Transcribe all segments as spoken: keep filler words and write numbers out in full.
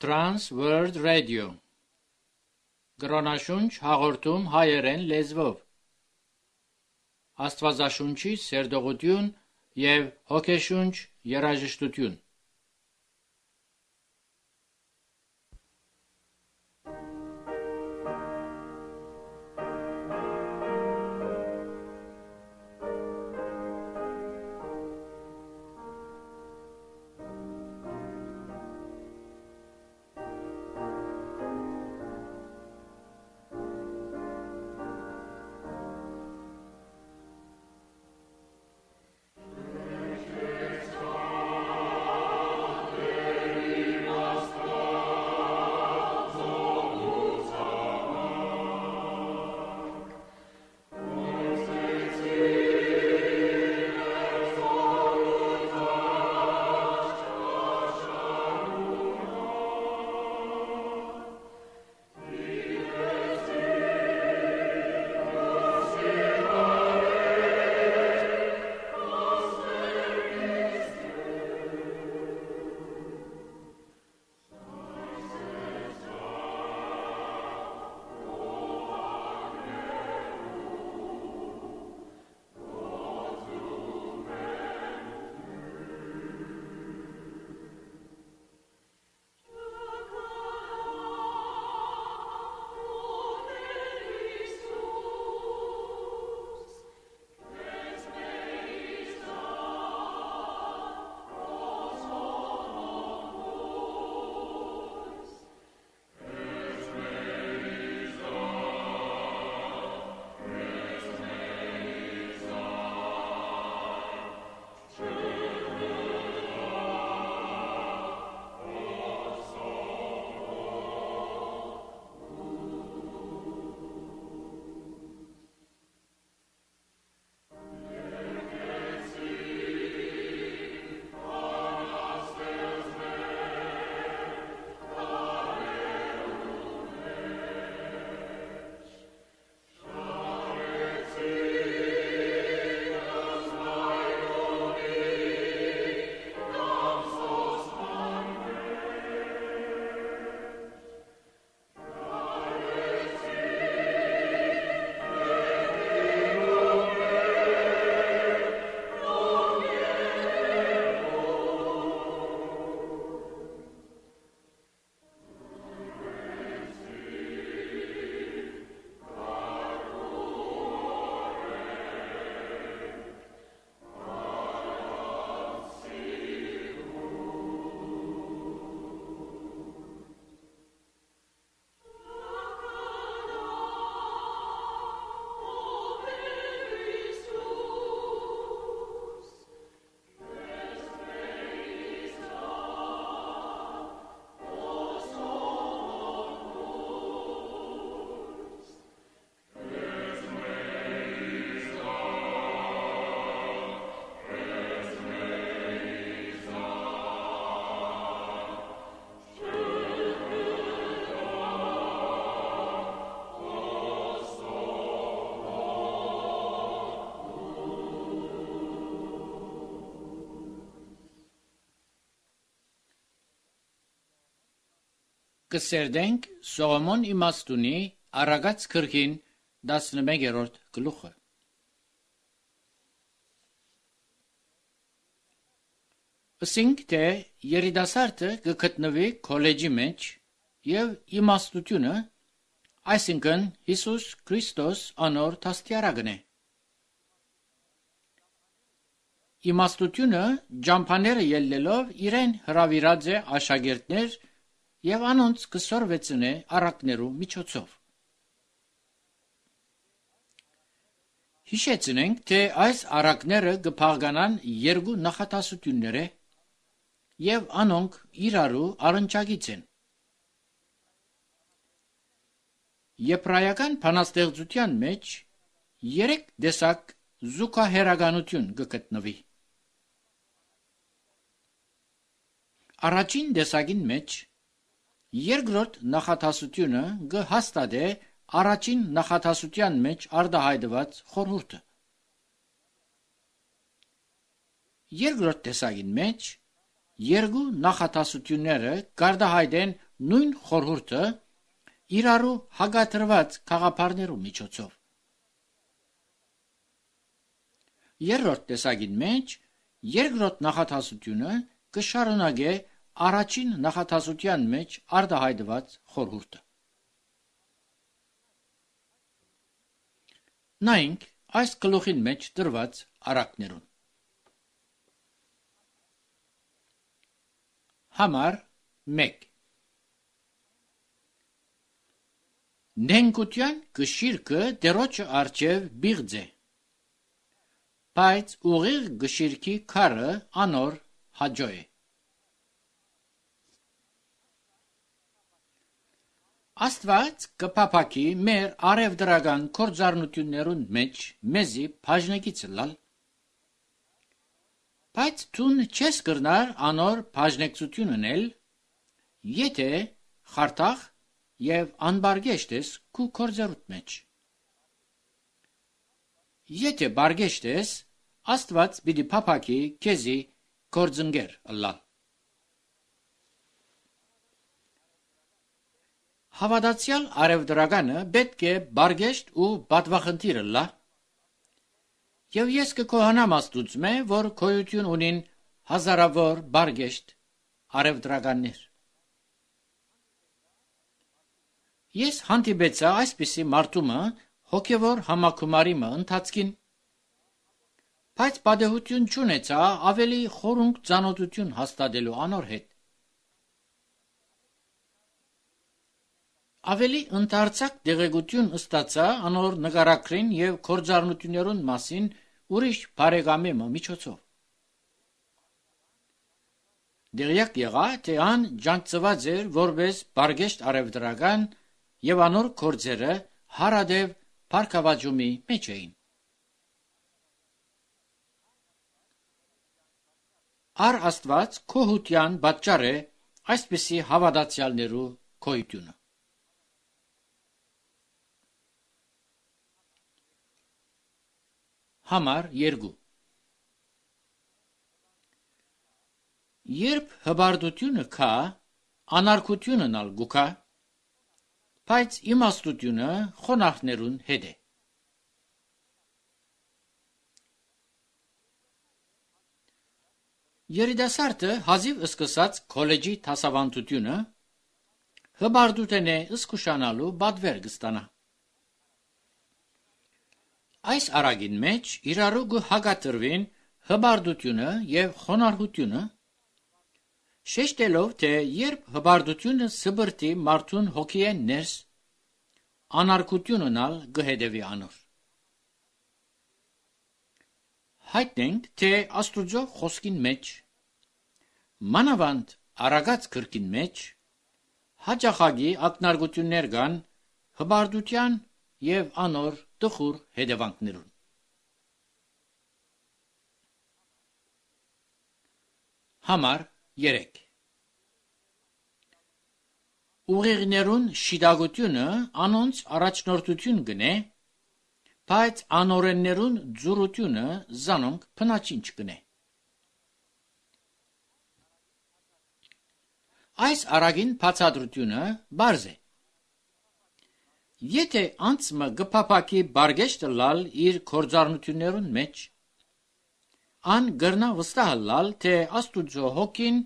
Trans World Radio Գրոնաշունչ հաղորդում հայերեն լեզվով Աստվածաշունչի սերտողություն և հոգեշունչ երաժշտություն Կսերդենք Սողոմոն իմաստունի Արագած քրքին տասնմեկերորդ գլուխը Ասինք թե երիտասարդը կգտնվի քոլեջի մեջ և իմաստությունը, այսինքն Հիսուս Քրիստոս անոր դաստիարակն է։ Իմաստությունը ջամփաները ելնելով իրեն հրավիրած է աշակերտներ և անոնց կսորվեցնե առակներու միջոցով։ Հիշեցնենք, թե այս առակները կփաղկանան երկու նախատասությունները և անոնք իրարու առնչագից են։ Եբրայական բանաստեղծության մեջ երեք տեսակ զուգահեռականություն կգտնվի։ Առաջին տեսակին մեջ երկրորդ նախատասությունը կհաստատե առաջին նախատասության մեջ արտահայտված խորհուրդը։ Երկրորդ տեսակին մեջ երկու նախատասությունները կարտահայտեն նույն խորհուրդը իրարու հագատրված խաղապարներու միջոցով։ Երրորդ տեսակին մեջ երկրորդ նախատասությունը կշարունակե առաջին նախատասության մեջ արտահայտված խորհուրդը։ Նայենք այս գլուխին մեջ դրված առակներուն։ Համար մեկ Նենգության գշիրկը դերոջը արջև բիղձ է, բայց ուղիղ գշիրկի քարը անոր հաջո է։ Աստված կփափակի մեր արևդրական կործառնություններուն մեջ մեզի բաժնեկից լալ, բայց թուն չես կրնար անոր բաժնեկցությունն էլ, եթե խարտախ եւ անբարգեշտ ես քու կործառուտ մեջ։ Եթե բարգեշտ ես, Աստված պիտի փափակի քեզի կործնգեր լալ։ Հավատացյալ արևդրականը պետք է բարգեշտ ու պատվախնդիր լա, եւ ես կկոհանամ Աստուծմե, որ քոյություն ունին հազարավոր բարգեշտ արևդրականներ։ Ես հանդիպեցա այսպիսի մարդումը հոգևոր համակումարիմը ընթացքին, բայց պատահություն չունեցա ավելի խորունկ ծանոթություն հաստատելու անոր հետ։ Ավելի ընդարձակ դեղեցություն ստացա անոր նկարագրին եւ կործառնություններուն մասին ուրիշ բարեկամի միջոցով։ Դերյակ եղա, թե ան ջանցված էր որպես բարգեշտ արևդրական եւ անոր կործերը հարադեւ փառքավաճումի մեջ էին։ Ար Աստված քոհության պատճառ է այսպիսի հավատացյալներու քոյությունը։ Համար երկու Երբ հբարդությունը կա, անարգությունն ալ գուքա, բայց իմաստությունը խոնարհներուն հետ է։ Երիտասարդը հազիվ սկսած քոլեջի դասավանդությունը հբարդութենե սկուշանալու բադվեր կստանա։ Այս արագին մեջ իրարու գու հագատրվին հբարդությունը եւ խոնարհությունը, շեշտելով, թե երբ հբարդությունը սբրտի մարդուն հոգի է ներս, անարգությունն ալ գհետևի անոր։ Հայտնենք, թե Աստուծո խոսքին մեջ, մանավանդ արագած գրքին մեջ, հաճախագի ակնարկություններ կան հբարդության եւ անոր տխուր հետևանքներուն։ Համար երեք Ուղիղներուն շիդագությունը անոնց առաջնորդություն գնե, բայց անօրեններուն ձուրությունը զանոնք փնաչինչ գնե։ Այս արագին բացատրությունը բարձ է։ Եթե անցմը գփափակի բարգեշտը լալ իր կործառնություններուն մեջ, ան գրնա վստահ լալ, թե Աստուծո հոգին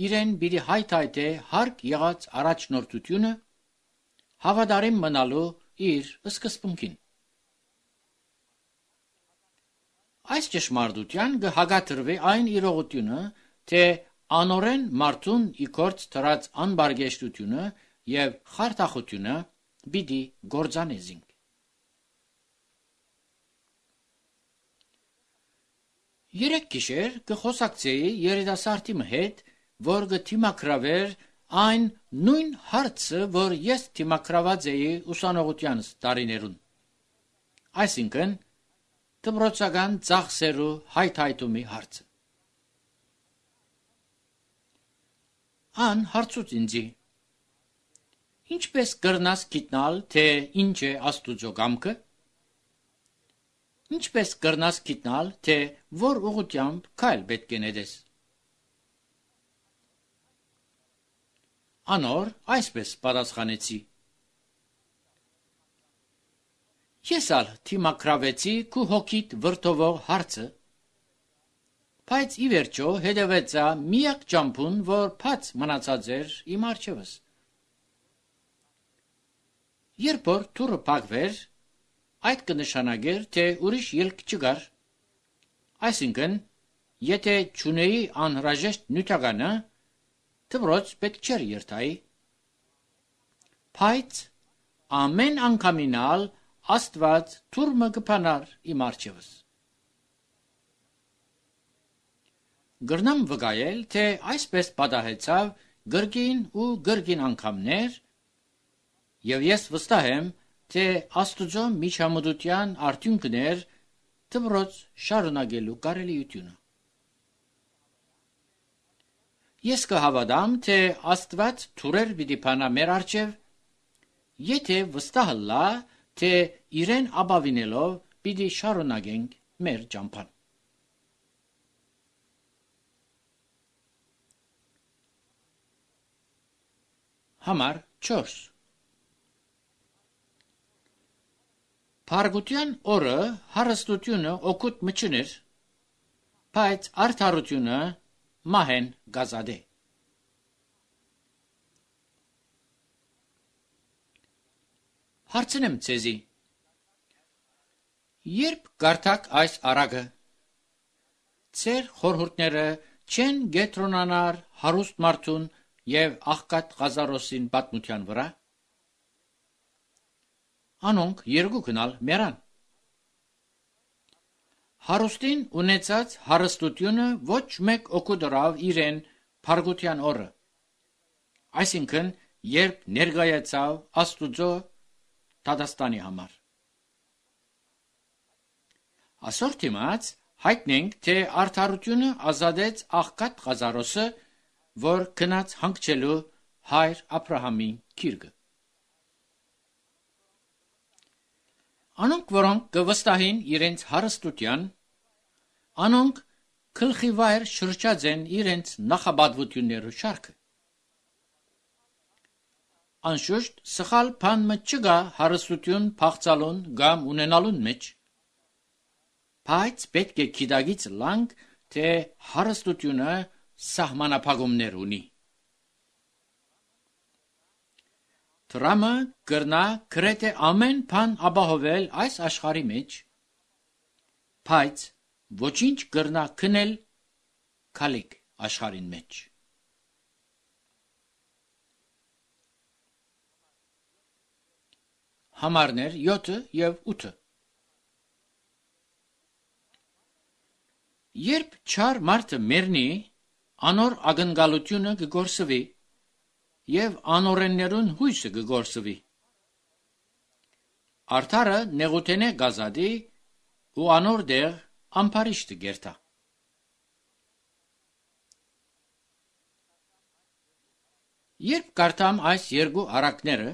իրեն բիդի հայթայթե հարկ եղած առաջնորդությունը հավատարիմ մնալու իր սկզբունքին։ Այս ճշմարտության կհագատրվի այն իրողությունը, թե անօրեն մարդուն իքորց դրած անբարգեշտությունը եւ խարդախությունը բիդի գործանեզինք։ Երեք գիշեր կխոսակցեի երիտասարդի հետ, որ կթիմակրավեր այն նույն հարցը, որ ես թիմակրաված էի ուսանողությանս տարիներուն, այսինքն դպրոցական ծախսերու հայթայթումի հարցը։ Ան հարցուց ինձի. Ինչպես կրնաս գիտնալ, թե ինչ է Աստուծո կամքը։ Ինչպես կրնաս գիտնալ, թե որ ուղղությամբ քայլ պետք է նետես։ Անոր այսպես պատասխանեցի. Ես ալ թիմակրավեցի քու հոգիտ վրդովող հարցը, բայց ի վերջո հետևեցա միակ ճամփուն, որ փած մնացած էր իմ առջևս։ Երբ որ թուրը փակվեր, այդ կնշանակեր, թե ուրիշ ելք չկար։ Այսինքն, եթե չունեի անհրաժեշտ նյութականը, դպրոց պետք չէր երթայի։ Բայց ամեն անգամինալ Աստված թուրմը կփանար իմ առջևս։ Գրնամ վկայել, թե այսպես պատահեցավ գրգին ու գրգին անգամներ, եւ ես վստահ եմ, թե Աստուծո միջամտության արդյունքներ դպրոց շարունակելու կարելիությունը։ Ես կհավատամ, թե Աստված թուրեր պիտի փանա մեր առջև, եթե վստահ լա, թե իրեն ապավինելով պիտի շարունակենք մեր ճամփան։ Համար չորս Փարգության օրը հարստությունը օգուտ մչներ, բայց արդարությունը մահեն գազադե։ Հարցնեմ ցեզի. երբ գարտակ այս արագը, ծեր խորհուրդները չեն գետրոնանար հարուստ մարդուն և աղքատ Ղազարոսին պատմության վրա, անոնք երկուքն ալ մեռան։ Հարուստին ունեցած հարստությունը ոչ մեկ օգուտ դրավ իրեն փարգության օրը, այսինքն երբ ներկայացավ Աստուծո դատաստանի համար։ Այսօր դիմաց հայտնենք, թե արդարությունը ազատեց աղքատ Ղազարոսը, որ գնաց հանգչելու հայր Աբրահամի քիրկը։ Անոնք, որոնք կվստահին իրենց հարստության, անոնք գլխի վայր շրջած են իրենց նախապատվություններու շարքը։ Անշուշտ սխալ բան մը չկա հարստություն փախցալուն կամ ունենալուն մեջ, բայց պետք է գիտակից լանք, թե հարստությունը սահմանափակումներ ունի։ Տրամը կրնա գրեթե ամեն բան ապահովել այս աշխարհի մեջ, բայց ոչինչ կրնա քնել քալիք աշխարհին մեջ։ Համարներ յոթը և ութը Երբ չար մարդը մեռնի, անոր ակնկալությունը կգործվի և անօրեններուն հույսը կգործվի։ Արդարը նեղութենե գազադի ու անոր դեղ ամբարիշտը գերտա։ Երբ կարդամ այս երկու առակները,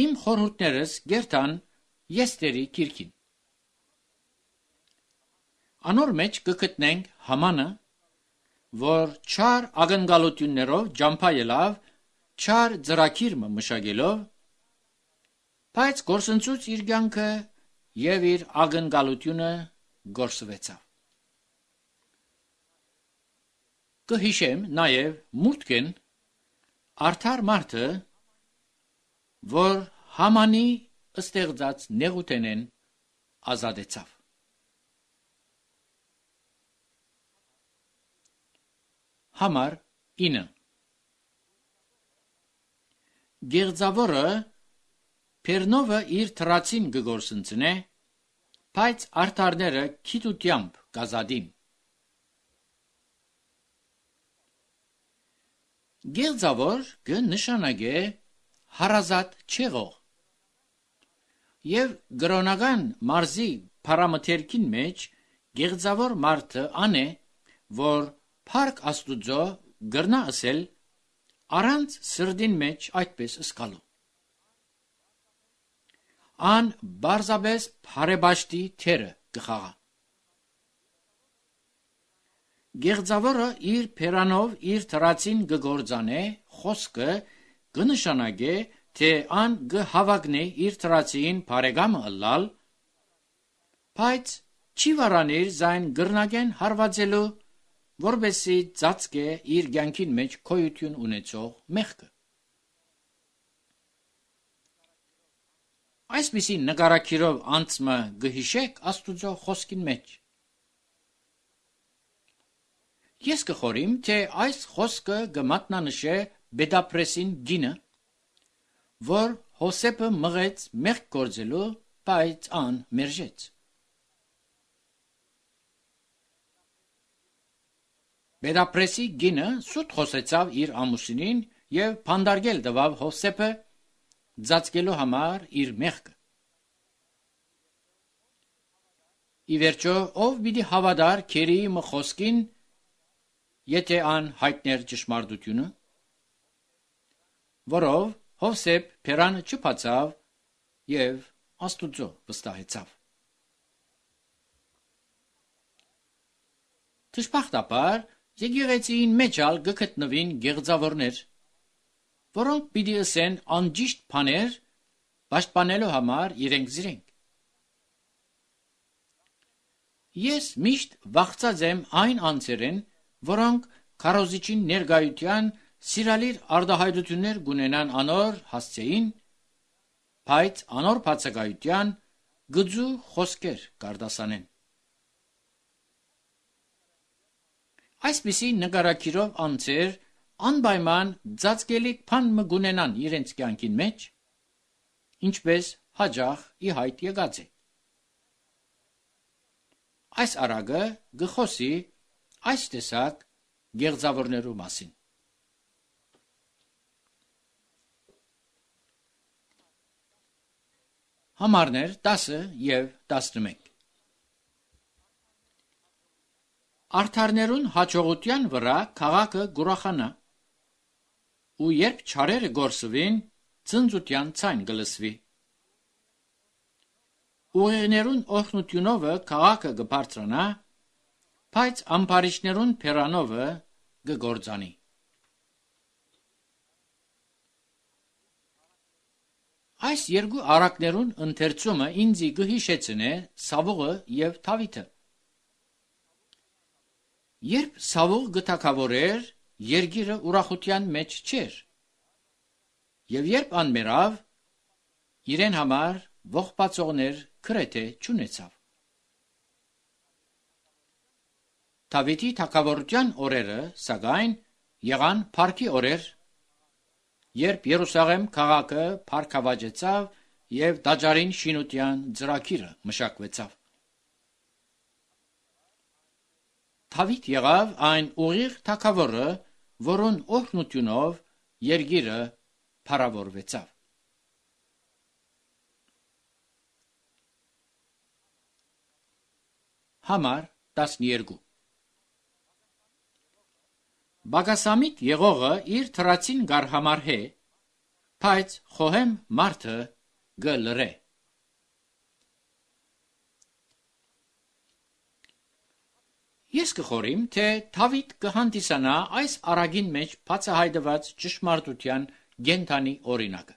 իմ խորհուրդներս գերտան Եստերի գիրքին։ Անոր մեջ կգտնենք Համանը, որ չար ակնկալություններով ճամփայելով, չար ծրագիր մշակելով, բայց գործընծուց իր կյանքը և իր ակնկալությունը գործվեցավ։ Կհիշեմ նաև Մուտքեն արդար մարդը, որ Համանի ստեղծած նեղութենեն ազատեցավ։ Համար ինը Գեղձավորը Պերնովը իր թրացին կգործընծնե, բայց արդարները քիտությամբ կազատին։ Գեղձավոր կը նշանակե հարազատ չեղող, և գրոնական մարզի փարամթերքին մեջ գեղձավոր մարդը ան է, որ Փառք Աստուծո գրնա ասել առանց սրդին մեջ այդպես սկալու։ Ան բարձաբես փարեբաշտի թերը կխաղա։ Գեղձավորը իր փերանով իր թրացին գգործանե, խոսքը կնշանակե, թե ան գհավագնե իր թրացին բարեկամը ըլլալ, բայց չի վարանիր զայն գրնագեն հարվածելու, որբեսի ծածկե իր կյանքին մեջ քոյություն ունեցող մեղքը։ Այսպիսի նկարակիրով անցմը գհիշեք Աստուծո խոսքին մեջ։ Ես կխորիմ, թե այս խոսքը գմատնանշե Բեդապրեսին գինը, որ Հոսեփը մղեց մեղք գործելու, բայց ան մերժեց։ Բեդապրեսի գինը սուտ խոսեցավ իր ամուսինին և փանդարգել տվավ Հոսեփը ծածկելու համար իր մեղքը։ Ի վերջո, ով պիտի հավատար քերիի մը խոսքին, եթե ան հայտներ ճշմարտությունը, որով Հովսեփ փերանը չփացավ և Աստուծո վստահեցավ։ Դժբախտաբար եկեղեցիին մեջ ալ գգտնվին գեղձավորներ, որոնք պիտի ըսեն անճիշտ բաներ պաշտպանելու համար իրենք զիրենք։ Ես միշտ վախծած եմ այն անձերեն, որոնք քարոզիչին ներկայության սիրալիր արտահայտություններ գունենան անոր հասցեին, բայց անոր բացակայության գծու խոսքեր կարտասանեն։ Այսպիսի նկարակիրով անձեր անպայման ծածկելիք բան մը գունենան իրենց կյանքին մեջ, ինչպես հաճախ ի հայտ եկած է։ Այս արագը գխոսի այս տեսակ գեղձավորներու մասին։ Համարներ տասը և տասնմեկ։ Արդարներուն հաջողության վրա քաղաքը գուրախանա, ու երբ չարերը գործվին, ծնծության ցայն գլսվի։ Ուղեղներուն օրհնությունովը քաղաքը գբարձրանա, բայց ամբարիշներուն փերանովը գգործանի։ Այս երկու առակներուն ընթերցումը ինձի գհիշեցնե Սավուղը և Դավիթը։ Երբ Սավուղ գթակավոր էր, երկիրը ուրախության մեջ չէր, և երբ ան մեռավ, իրեն համար ողբացողներ գրեթե չունեցավ։ Դավիթի թագավորության օրերը, սակայն, եղան փառքի օրեր, երբ Երուսաղեմ քաղաքը փառքավաճեցավ և տաճարին շինության ծրագիրը մշակվեցավ։ Դավիթ եղավ այն ուղիղ թագավորը, որուն օրհնությունով երկիրը փառավորվեցավ։ Համար տասներկու։ Բագասամիտ եղողը իր թրացին գարհամարհե, բայց խոհեմ մարդը գլրե։ Ես կխորիմ, թե Դավիթ կհանդիսանա այս առագին մեջ բացահայտված ճշմարտության կենդանի օրինակը։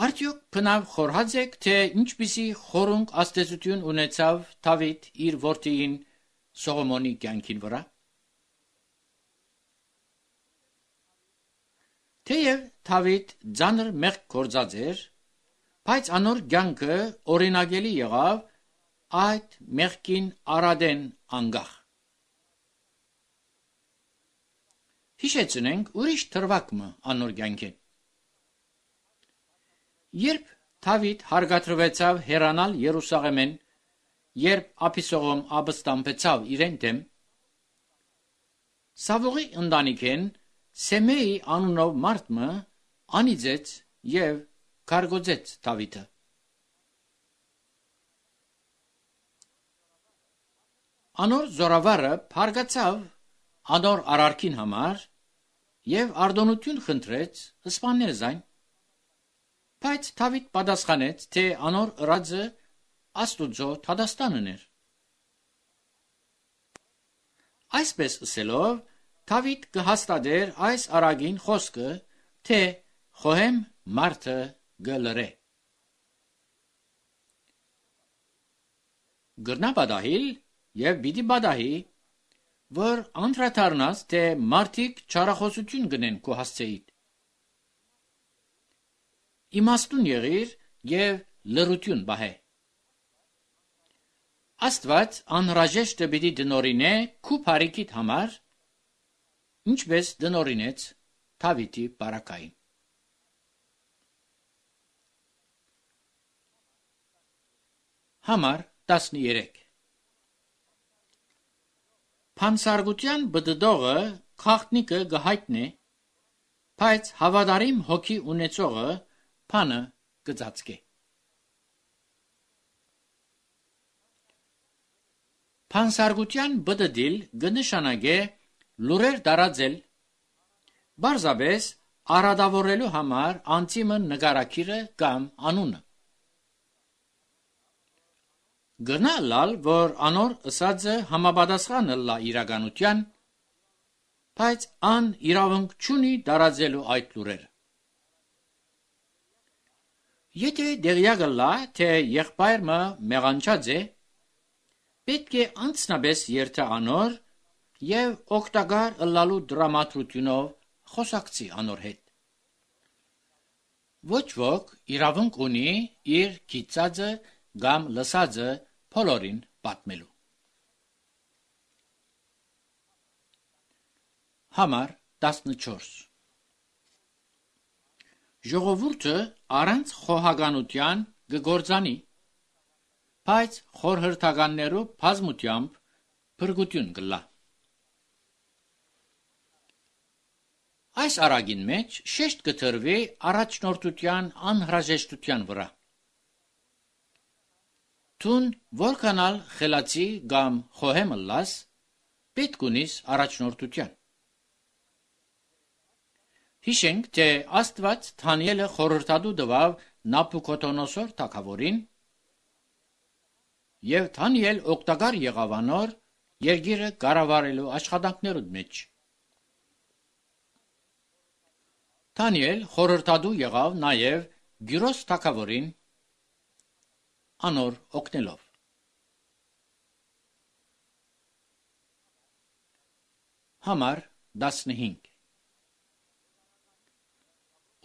Արդյոք բնավ խորհած եք, թե ինչպիսի խորունկ ազդեցություն ունեցավ Դավիթ իր որդիին Սողոմոնի կյանքին վրա։ Թեև Դավիթ ծանր մեղք գործած էր, բայց անոր կյանքը օրինակելի եղավ այդ մեղքին արադեն անգախ։ Հիշեցնենք ուրիշ թրվակը անոր կյանքին։ Երբ Դավիթ հարգադրվեցավ հեռանալ Երուսաղեմեն, երբ Աբիսողոմ ապստամբեցավ իրեն դեմ, Սավուղի ընտանիքեն Սեմեի անունով մարդը անիծեց և քարգոծեց Դավիթը։ Անոր զորավարը փարգացավ անոր արարքին համար և արտոնություն խնդրեց սպանել զայն, բայց Դավիթ պատասխանեց, թե անոր ըրածը Աստուծո դատաստանն էր։ Այսպես ասելով, Դավիթ կհաստատեր այս արագին խոսքը, թե խոհեմ մարդը գլրե։ Գրնա բադահիլ եւ բիդի բադահի, որ անդրադառնաս, թե մարդիկ չարախոսություն գնեն քո հասցեիդ։ Իմաստուն եղիր եւ լրություն բահե։ Աստված անհրաժեշտը պիտի դնորինե քու բարիքիդ համար, ինչպես դնորինեց Դավիթի բարակային։ Համար տասներեք Փանսարգության բդդողը խախտնիկը գահիտնե, բայց հավատարիմ հոգի ունեցողը փանը կծածկե։ Փանսարգության բդդիլ գնշանագե լուրեր դարածել, բարձաբես արադավորելու համար անցիմը նգարակիրը կամ անունը։ Գնա լալ, որ անոր ըսածը համապատասխան լա իրականության, բայց ան իրավունք չունի դարածելու այդ լուրերը։ Եթե դեղյակը լա, թե եղբայրը մեղանչած է, պետք է անցնաբես երթա անոր եւ օգտակար ըլլալու դրամատրությունով խոսակցի անոր հետ։ Ոչ ոք իրավունք ունի իր գիտածը կամ լսածը բոլորին պատմելու։ Համար տասնչորս Ժողովուրդը առանց խոհականության կգործանի, բայց խորհրդականներու բազմությամբ փրկություն կլա։ Այս արագին մեջ շեշտ կտրվի առաջնորդության անհրաժեշտության վրա։ Տուն որքանալ խելացի կամ խոհեմ լաս, պետք ունիս առաջնորդության։ Հիշենք, թե Աստված Դանիելը խորհրդատու տվավ Նաբուքոդոնոսոր թագավորին, եւ Դանիել օգտակար եղավ անոր երկիրը կառավարելու աշխատանքներուն մեջ։ Դանիել խորհրդատու եղավ նաեւ Գյուրոս թագավորին անոր օգնելով։ Համար տասնհինգ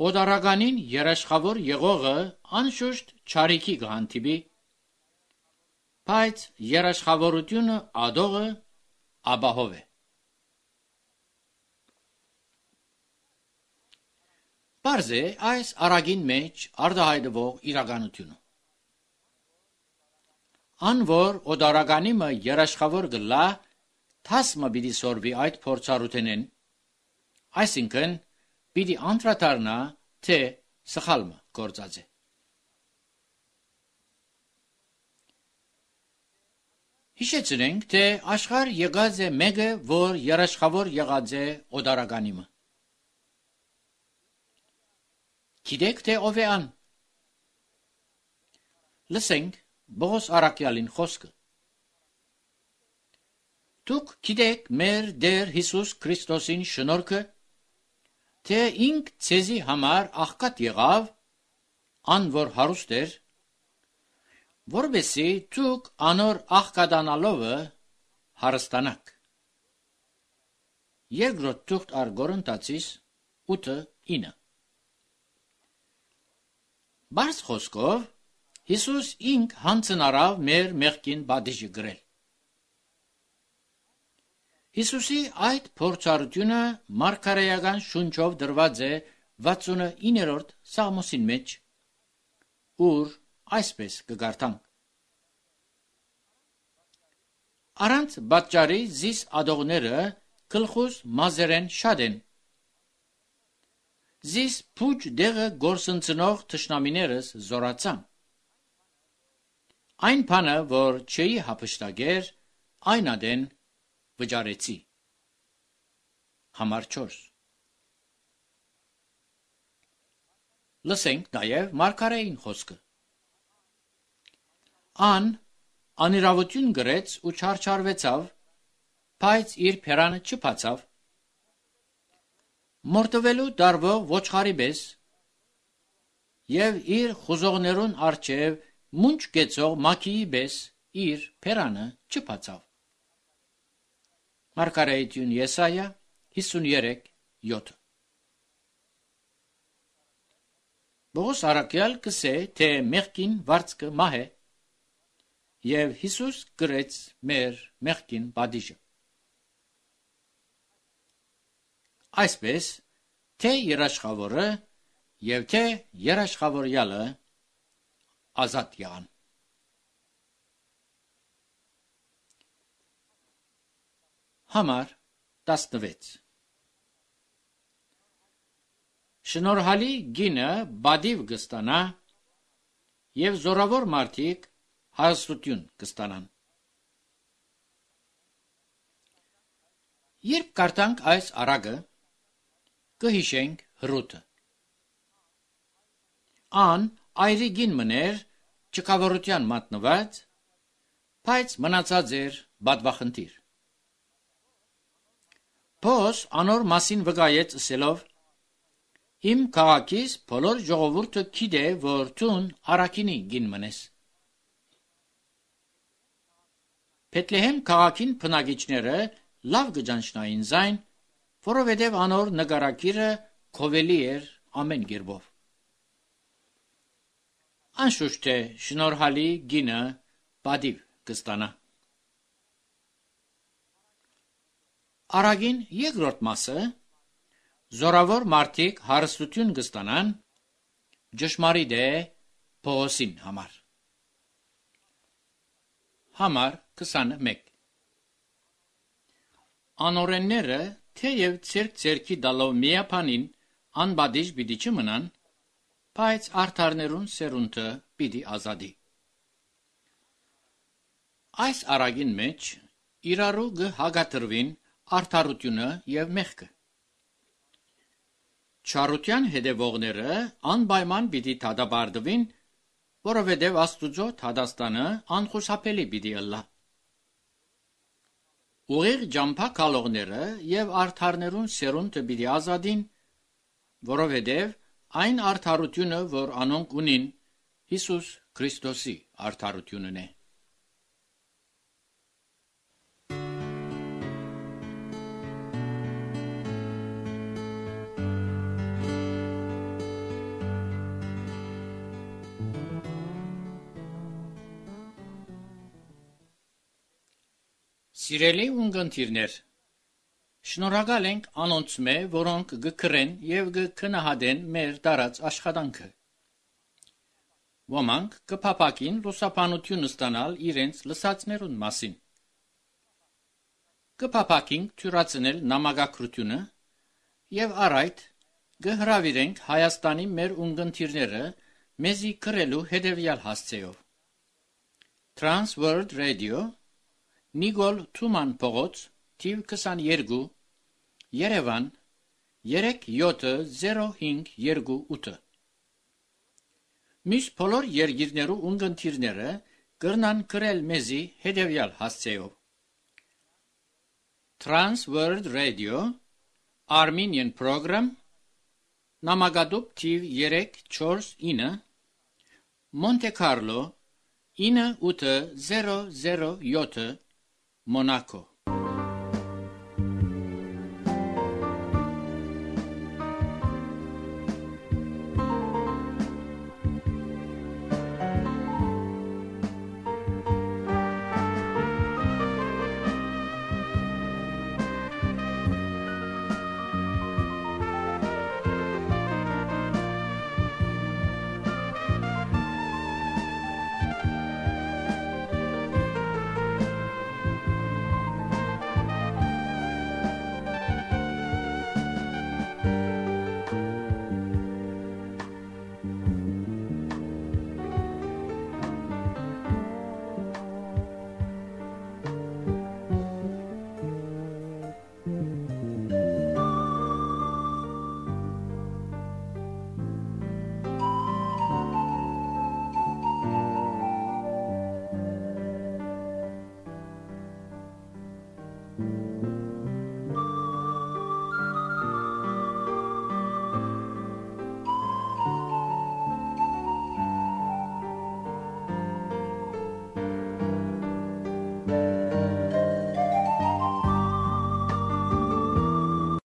Օդարականին երաշխավոր եղողը անշուշտ չարիքի կհանդիպի, բայց երաշխավորությունը ադողը աբահով է։ Պարզ է այս արագին մեջ արտահայտվող իրականությունը։ Ան որ օդարականիմը երաշխավոր գլա, թասմը պիտի սորվի այդ փորձառութենեն, այսինքն պիտի անդրադառնա, թե սխալմը գործած է։ Հիշեցնենք, թե աշխարհ եղած է մեկը, որ երաշխավոր եղած է օդարականիմը։ Գիտեք, թե ով է ան։ Լսենք Բողոս առաքյալին խոսքը։ Դուք գիտեք մեր Տեր Հիսուս Քրիստոսին շնորհքը, թե ինք ցեզի համար աղքատ եղավ, ան որ հարուստ էր, որովհետեւ դուք անոր աղքատանալովը հարստանաք։ Երկրորդ թուղթ առ Կորինթացիս ութը ինը Բարձ խոսքով Հիսուս ինք հանցնարավ մեր մեղքին բադիժը գրել։ Հիսուսի այդ փորձառությունը մարգարեական շունչով դրված է վաթսունիններորդ Սաղմոսին մեջ, ուր այսպես կգարտանք. Առանց բաճարի զիս ադողները գլխուս մազերեն շատ են։ Զիս փուջ դեղը գործընծնող թշնամիներս զորացան։ Այն բանը, որ չէի հափշտակեր, այն ադեն վճարեցի։ Համար չորս Լսենք նաև մարգարեին խոսքը։ Ան անիրավություն գրեց ու չարչարվեցավ, բայց իր փերանը չփացավ։ Մորթվելու դարվող ոչխարի պես եւ իր խուզողներուն արջև մունջ գեցող մաքիի պես իր փերանը չփացավ։ Մարգարեություն Եսայա հիսունյորեք յոթ։ Բողոս արաքյալ կսե, թե մեղքին վարձքը մահ է, եւ Հիսուս գրեց մեր մեղքին պատիժը։ Այսպես, թե երաշխավորը եւ թե երաշխավորյալը ազատ եղան։ Համար տասնվեց։ Շնորհալի գինը բադիվ կստանա եւ զորավոր մարդիկ հարստություն կստանան։ Երբ կարդանք այս առագը, կհիշենք Հռութը։ Ան այրի գին մներ ճկավորության մատնված, բայց մնացած էր բադվախնդիր։ Փոս անոր մասին վկայեց ասելով. Իմ քաղաքիս բոլոր ժողովուրդը գիտե, որ տուն առաքինի գին մնես։ Բեթլեհեմ քաղաքին բնակիչները լավ գճանչնային զայն, որովհետև անոր նկարակիրը քովելի էր ամեն գերբով։ Անշուշտ է շնորհալի գինը բադիվ կստանա։ Առագին երկրորդ մասը զորավոր մարդիկ հարստություն կստանան ճշմարիտ է Պողոսին համար։ Համար քսանմեկ։ Անօրենները թեև ցերկ ցերկի դալով միապանին անբադիժ պիտի չմնան, բայց արդարներուն սերունդը պիտի ազատի։ Այս առագին մեջ իրարու կհագատրվին արդարությունը եւ մեղքը։ Չարության հետևողները անպայման պիտի դատապարտվին, որովհետև Աստուծո դատաստանը անխուսափելի պիտի ըլլա։ Ուղիղ ճամփա գալողները եւ արդարներուն սերունդը պիտի ազատին, որովհետև այն արդարությունը, որ անոնք ունին, Հիսուս Քրիստոսի արդարությունն է։ Սիրելի ունգընտիրներ, շնորհակալ ենք անոնց մե, որոնք գկրեն եւ գքնահատեն մեր տարած աշխատանքը։ Ոմանք կփապակին լուսաբանություն ստանալ իրենց լսածներուն մասին։ Կփապակին թյուրացնել նամակագրությունը եւ առայդ կհրավիրենք Հայաստանի մեր ունգընտիրները մեզի գրելու հետեւյալ հասցեով։ Trans World Radio Նիկոլ Թուման փողոց, թիվ քսաներկու, Երևան, երեք յոթ զիրո հինգ երկու ութ։ Մյուս բոլոր երկիրներու ունգընտիրները կրնան գրել մեզի հետևյալ հասցեով։ Trans World Radio Armenian Program Նամակադուպ թիվ երեք չորս ինը Monte Carlo ինը ութ զիրո զիրո յոթ Monaco